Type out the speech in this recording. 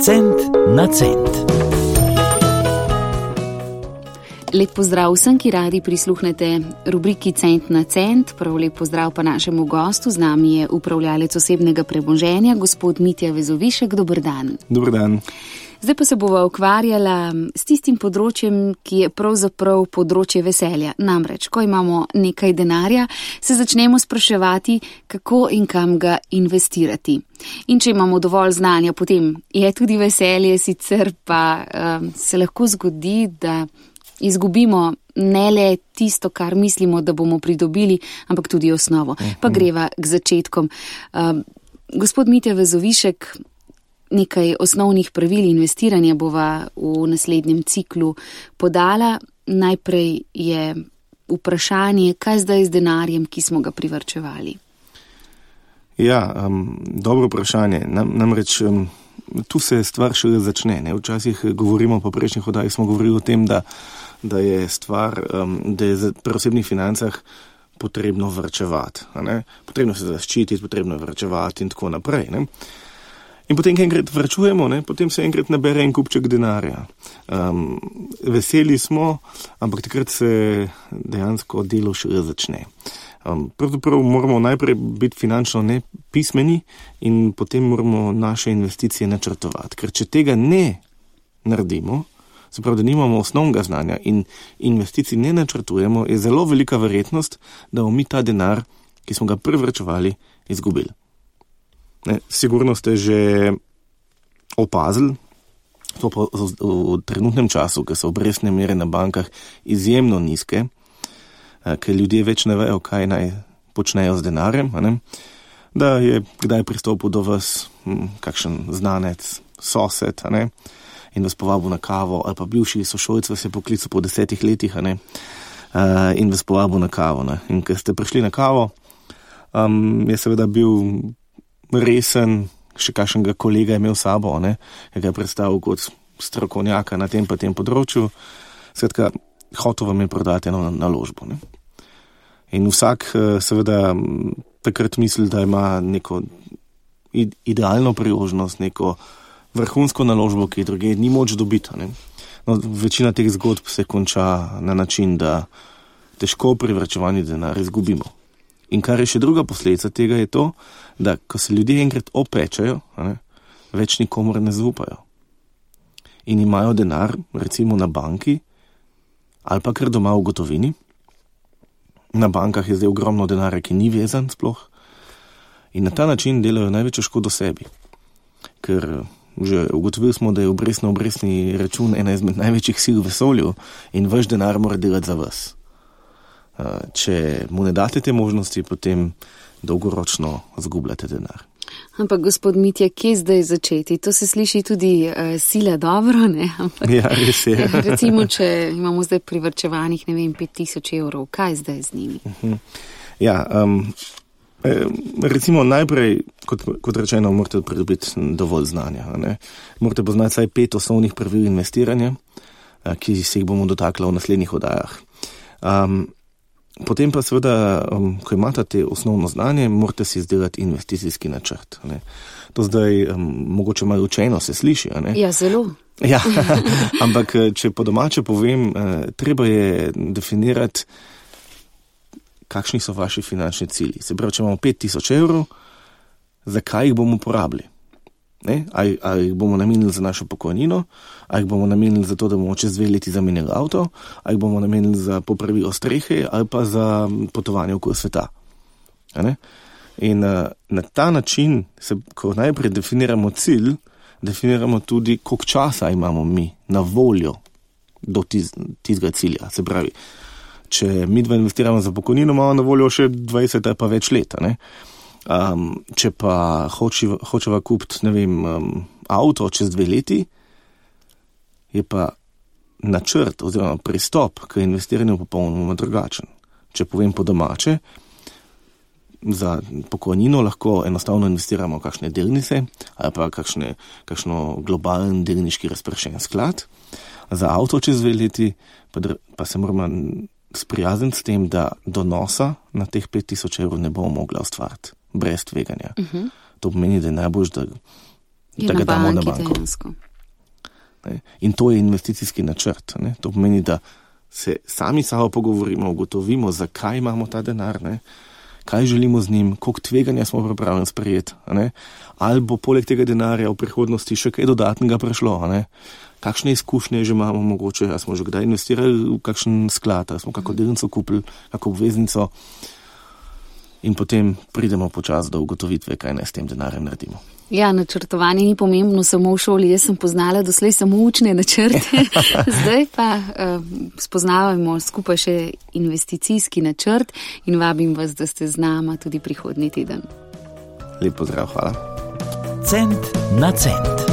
Cent na cent. Lep pozdrav vsem, ki radi prisluhnete rubriki Cent na cent. Prav lep pozdrav pa našemu gostu. Z nami je upravljalec osebnega premoženja, gospod Mitja Vezovišek. Dober dan. Dober dan. Zdaj pa se bova ukvarjala s tistim področjem, ki je pravzaprav področje veselja. Namreč, ko imamo nekaj denarja, se začnemo spraševati, kako in kam ga investirati. In če imamo dovolj znanja, potem je tudi veselje, sicer pa se lahko zgodi, da izgubimo ne le tisto, kar mislimo, da bomo pridobili, ampak tudi osnovo. Pa greva k začetkom. Gospod Mitja Vezovišek, nekaj osnovnih pravil investiranja bova v naslednjem ciklu podala. Najprej je vprašanje, kaj zdaj z denarjem, ki smo ga privarčevali? Ja, dobro vprašanje. Namreč tu se stvar šele začne. Ne? Včasih govorimo, po prejšnjih oddajah smo govorili o tem, da je stvar, da je pri osebnih financah potrebno varčevati. Potrebno se zaščititi, potrebno je varčevati in tako naprej. Ne? In potem, ko enkrat varčujemo, potem se enkrat nabere en kupček denarja. Veseli smo, ampak takrat se dejansko delo šele začne. Pravzaprav moramo najprej biti finančno nepismeni in potem moramo naše investicije načrtovati. Ker če tega ne naredimo, se pravi, da nimamo osnovnega znanja in investicij ne načrtujemo, je zelo velika verjetnost, da bomo mi ta denar, ki smo ga privarčevali, izgubili. Sigurno ste že opazili, to pa v trenutnem času, ker so obrestne mere na bankah izjemno nizke, ker ljudje več ne vejo, kaj naj počnejo z denarjem, da je kdaj pristopil do vas kakšen znanec, sosed, in vas povabil na kavo, ali pa bivši sošolec vas je poklical po 10 letih, in vas povabil na kavo. In ker ste prišli na kavo, je seveda bil resen, še kakšnega kolega imel sabo, ki ga je predstavil kot strokovnjaka na tem pa tem področju. Skratka, hotel vam je prodati eno naložbo. In vsak seveda takrat misli, da ima neko idealno priložnost, neko vrhunsko naložbo, ki druge ni moč dobiti. No, večina teh zgodb se konča na način, da težko privarčevani denar izgubimo. In kar je še druga posledica tega je to, da ko se ljudje enkrat opečajo, več nikomor ne zaupajo. In imajo denar, recimo na banki, ali pa kar doma v gotovini. Na bankah je zdaj ogromno denarja, ki ni vezan sploh. In na ta način delajo največjo škodo sebi. Ker že ugotovili smo, da je obrestni račun ena izmed največjih sil v vesolju in vaš denar mora delati za vas. Če mu ne date te možnosti, potem dolgoročno zgubljate denar. Ampak, gospod Mitja, kje zdaj začeti? To se sliši tudi sila dobro, ne? Ampak, ja, res je. Recimo, če imamo zdaj privarčevanih, 5,000 evrov, kaj zdaj z njimi? Ja, recimo najprej, kot rečeno, morate pridobiti dovolj znanja. Morate poznati vsaj 5 osnovnih pravil investiranja, ki se jih bomo dotakla v naslednjih oddajah. Potem pa seveda, ko imate te osnovno znanje, morate si izdelati investicijski načrt. To zdaj mogoče malo učeno se sliši. Ja, zelo. Ja, ampak če po domače povem, treba je definirati, kakšni so vaši finančni cilji. Se pravi, če imamo 5,000 evrov, zakaj jih bomo porabili? Ali jih bomo namenili za našo pokojnino, ali jih bomo namenili za to, da bomo čez 2 leti zamenjali avto, ali jih bomo namenili za popravilo strehe, ali pa za potovanje okoli sveta. In na ta način, ko najprej definiramo cilj, definiramo tudi, koliko časa imamo mi na voljo do tistega cilja. Se pravi, če mi dva investiramo za pokojnino, imamo na voljo še 20 ali pa več let. Če pa hočeva kupiti, avto čez 2 leti, je pa načrt oziroma pristop k investiranju popolnoma drugačen. Če povem po domače, za pokojnino lahko enostavno investiramo v kakšne delnice ali pa kakšno globalen delniški razpršen sklad. Za avto čez 2 leti pa se moramo sprijazniti s tem, da donosa na teh 5,000 evrov ne bomo mogla ustvariti brez tveganja. To pomeni, da je najbolj, da da ga damo na banko. In to je investicijski načrt. Ne? To pomeni, da se sami sabo pogovorimo, ugotovimo, zakaj imamo ta denar, ne? Kaj želimo z njim, koliko tveganja smo pripravljeni sprejeti, ali bo poleg tega denarja v prihodnosti še kaj dodatnega prišlo, kakšne izkušnje že imamo mogoče, ali smo že kdaj investirali v kakšen sklad, ali smo kako delnico kupili, kako obveznico in potem pridemo počasi do ugotovitve, kaj naj s tem denarjem naredimo. Ja, načrtovanje ni pomembno samo v šoli. Jaz sem poznala doslej samo učne načrte, zdaj pa spoznavamo skupaj še investicijski načrt in vabim vas, da ste z nama tudi prihodnji teden. Lep pozdrav, hvala. Cent na cent.